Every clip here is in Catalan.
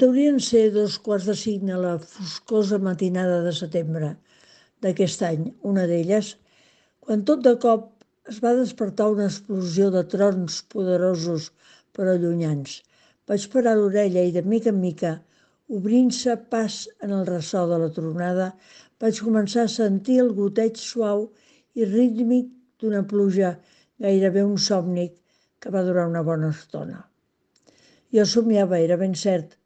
Deurien ser 2:45 a la foscosa matinada de setembre d'aquest any, una d'elles, quan tot de cop es va despertar una explosió de trons poderosos però allunyans. Vaig parar l'orella i de mica en mica, obrint-se pas en el ressò de la tronada, vaig començar a sentir el goteig suau i rítmic d'una pluja, gairebé un somni que va durar una bona estona. Jo somiava, era ben cert.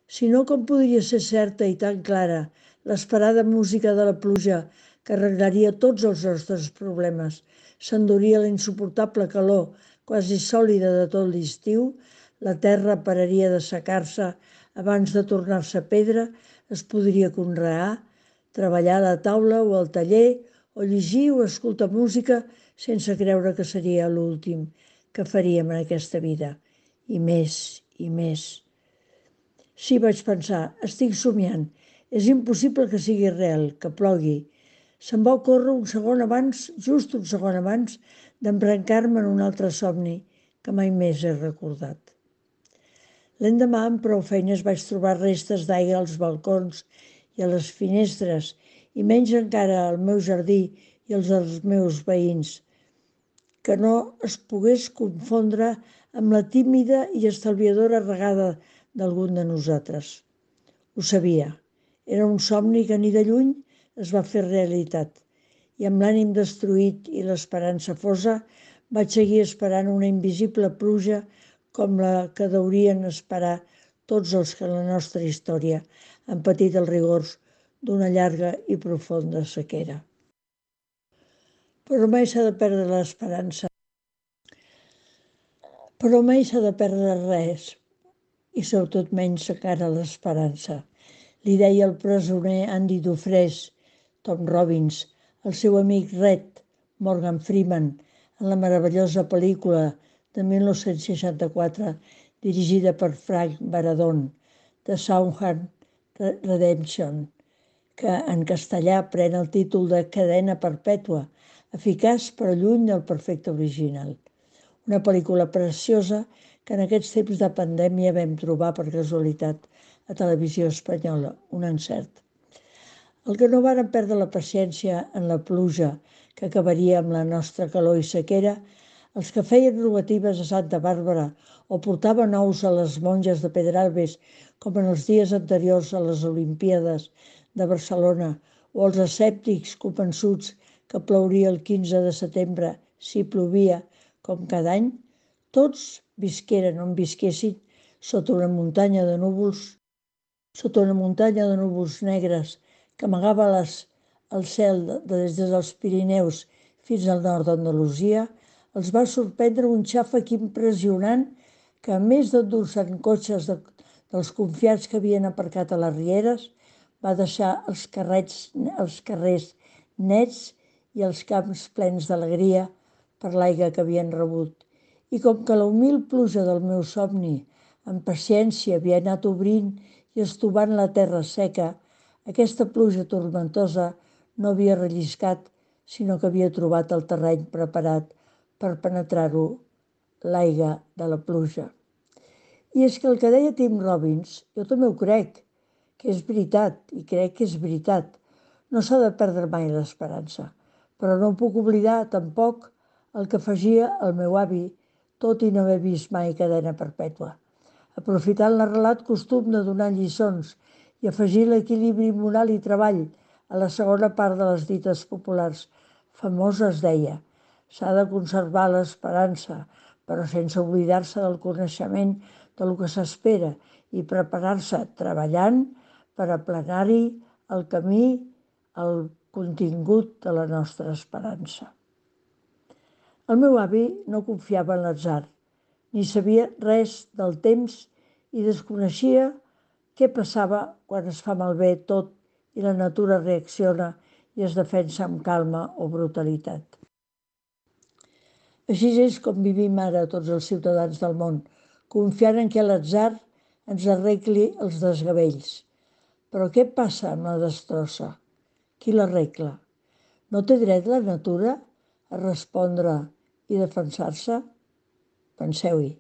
Si no, com podria ser certa i tan clara l'esperada música de la pluja que arreglaria tots els nostres problemes, s'enduria la insuportable calor quasi sòlida de tot l'estiu, la terra pararia de secar-se abans de tornar-se pedra, es podria conrear, treballar a la taula o al taller, o llegir o escoltar música sense creure que seria l'últim que faríem en aquesta vida. I més, i més. Sí, vaig pensar, estic somiant. És impossible que sigui real, que plogui. Se'm va ocórrer un segon abans, just un segon abans, d'embrancar-me en un altre somni que mai més he recordat. L'endemà, amb prou feines, vaig trobar restes d'aigua als balcons i a les finestres, i menys encara al meu jardí i als dels meus veïns, que no es pogués confondre amb la tímida i estalviadora regada d'algun de nosaltres. Ho sabia. Era un somni que ni de lluny es va fer realitat. I amb l'ànim destruït i l'esperança fosa, vaig seguir esperant una invisible pluja com la que deurien esperar tots els que en la nostra història han patit els rigors d'una llarga i profunda sequera. Però mai s'ha de perdre l'esperança. Però mai s'ha de perdre res, i sobretot menys encara l'esperança. Li deia el presoner Andy Dufresne, Tom Robbins, el seu amic Red, Morgan Freeman, en la meravellosa pel·lícula de 1964 dirigida per Frank Baradon, The Shawshank Redemption, que en castellà pren el títol de Cadena perpètua, eficaç però lluny del perfecte original. Una pel·lícula preciosa que en aquests temps de pandèmia vam trobar per casualitat a Televisió Espanyola, un encert. El que no varen perdre la paciència en la pluja que acabaria amb la nostra calor i sequera, els que feien robatives a Santa Bàrbara o portaven ous a les monges de Pedralbes, com en els dies anteriors a les Olimpíades de Barcelona, o els escèptics convençuts que plouria el 15 de setembre si plovia, com cada any, tots visqueren on visquessin sota una muntanya de núvols negres que amagava el cel des dels Pirineus fins al nord d'Andalusia, els va sorprendre un xàfec impressionant que, a més d'endur-se en cotxes dels confiats que havien aparcat a les rieres, va deixar els carrers nets i els camps plens d'alegria per l'aigua que havien rebut. I com que la humil pluja del meu somni, amb paciència, havia anat obrint i estovant la terra seca, aquesta pluja tormentosa no havia relliscat, sinó que havia trobat el terreny preparat per penetrar-ho l'aigua de la pluja. I és que el que deia Tim Robbins, jo també ho crec, que és veritat, i crec que és veritat. No s'ha de perdre mai l'esperança, però no puc oblidar tampoc el que afegia el meu avi, tot i no haver vist mai Cadena perpètua. Aprofitant l'arrelat costum de donar lliçons i afegir l'equilibri moral i treball a la segona part de les dites populars famoses deia: s'ha de conservar l'esperança, però sense oblidar-se del coneixement del que s'espera i preparar-se treballant per aplanar-hi el camí al contingut de la nostra esperança. El meu avi no confiava en l'atzar, ni sabia res del temps i desconeixia què passava quan es fa malbé tot i la natura reacciona i es defensa amb calma o brutalitat. Així és com vivim ara tots els ciutadans del món, confiant en què l'atzar ens arregli els desgavells. Però què passa amb la destrossa? Qui l'arregla? No té dret la natura a respondre i defensar-se? Penseu-hi.